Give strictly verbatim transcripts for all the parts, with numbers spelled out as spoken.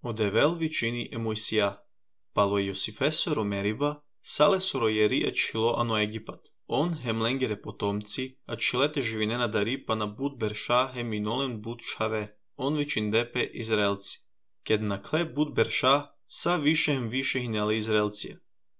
Odevel vicini e Moisija, palo Iosifesoro Meriba, salesoro jeri achilo ano Egipat. On hem lengere potomci, achilete živinena dari pa na bud Bersha hem minolen bud Chave, on vicindepe Izraelci. Ked na kle bud Bersha, sa više hem više hinele Izraelcija.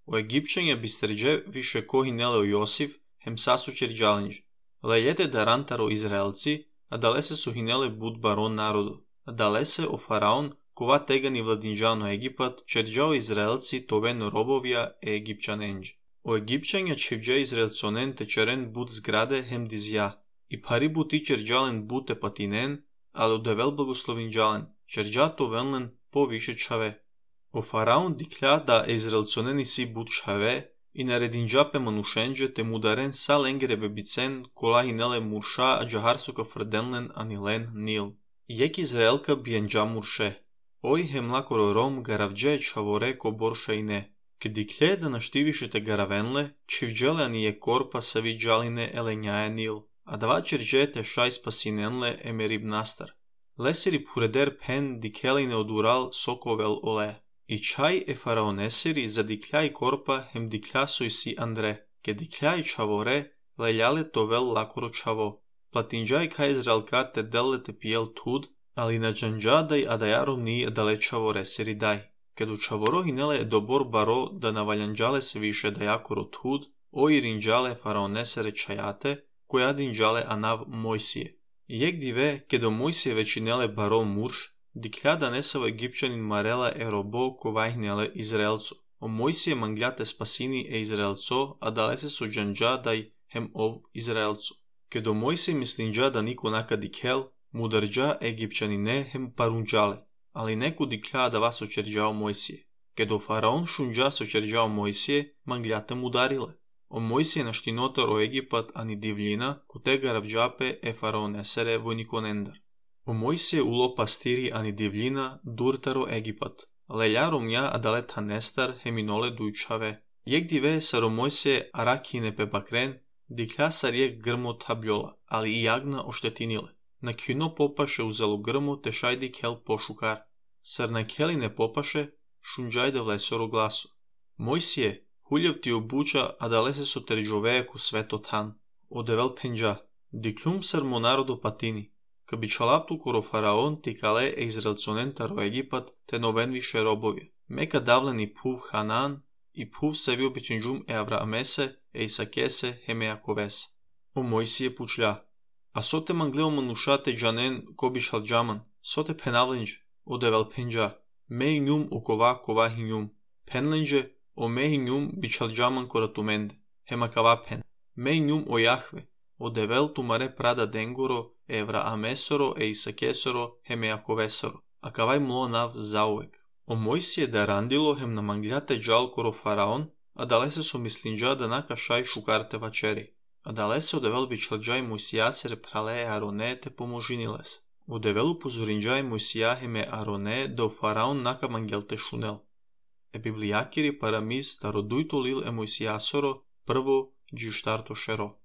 O Egipćanje bisterđe više ko hinele o Josif, hem sasu čerđalinđ. Lejete darantaro Izraelci, a dalese su hinele bud baron narodu. A dalese o faraon, kova tegani vladinđano Egipat, čerđao Izraelci toven robovja e Egipćanenđ. O Egipćanja čivđe Izraelconen te čeren bud zgrade hem dizja, i pari bud i čerđalen bute patinen, ali odevel blagoslovinđalen, čerđa to venlen po više čave. O faraon diklja da Izraelconeni si bud čave, i naredinđape manušenđe te mudaren sa lengere bebicen kola hinele murša a džaharsuka frdenlen anilen nil. Jek Izraelka bijenđa murše. Oj hem lakoro rom garavđe čavore ko borša i ne. Kdiklje da naštivišete garavenle, čivđele anije korpa sa vidžaline elenjaje nil, a dva čerđete šaj spasinenle emerib nastar. Lesiri pureder pen dikeline odural sokovel ole. I čaj e faraonesiri za dikljaj korpa hem dikljasoj si Andre, ke dikljaj čavore leljale tovel lakoro čavo. Platinđaj kaj Izraelka te delete pijel tud, ali na džanđadaj adajarom nije dale čavore siri daj. Kad u čavoro hinele dobor baro da navaljanđale se više dajakoro tud, o irinđale faraonesere čajate, koja dinđale anav Mojsije. Jek dive, kedo Mojsije većinele baro murš, diklja da nesava Egipćanin marela e robo kovajhnele Izraelco. O Mojsije mangljate spasini e Izraelco, a dalese su džanđadaj hem ov Izraelco. Kedo Mojsije mislinđa da niko naka dikel, mudarđa Egipćanine hem parunđale, ali neku diklja da vas očerđao Mojsije. Kedo faraon šunđa se očerđao Mojsije, mangljate mudarile. O Mojsije naštinotar o Egipat ani divljina, kute garavđape e faraonesere vojnikonendar. O Mojsije ulo pastiri ani divljina, durtaro Egipat. Leljarom ja adalet hanestar heminole dujčave. Jek dive saro Mojsije arakine pe bakren, diklja sar jek grmo tabljola, ali i jagna oštetinile. Na kino popaše uzelo grmo te šajdi kel pošukar. Sar na keli ne popaše, šunđajde vlesoro glaso. Mojsije, huljev ti obuča, a dalese su terđoveje ku sveto tan. Odevel penđa, diklum sar mo narodo patini. Ka bi čalaptu koro faraon ti kale e Izraelconen taro Egipat te noven više robovje. Meka davleni puv Hanan i puv sevio bićenđum e Avraamese e Isakese heme Jakovese. O Mojsije pučlja. A sote mangleo manušate džanen ko bi šal džaman, sote penavlenđ, odevel penđa, mej njum o kova kova hi njum, penlenđe o mej njum bi šal džaman koratumende, hema kava pen, mej njum o Jahve, odevel tumare prada dengoro, evra amesoro e Isakesoro heme Jakovesoro, a kavaj mlo nav zauvek. O Mojsije da randilo hem na mangljate džal koro faraon, a dalese su mislinđa da naka šaj šukarte vačeri. A dalese odevel bi čalđaj Mojsijacere prale Arone te pomožiniles. Odevelu pozorinđaj Mojsijahe Arone da u faraon naka mangelte šunel. E biblijakiri paramiz tarodujto lil e Mojsijasoro prvo džištarto šero.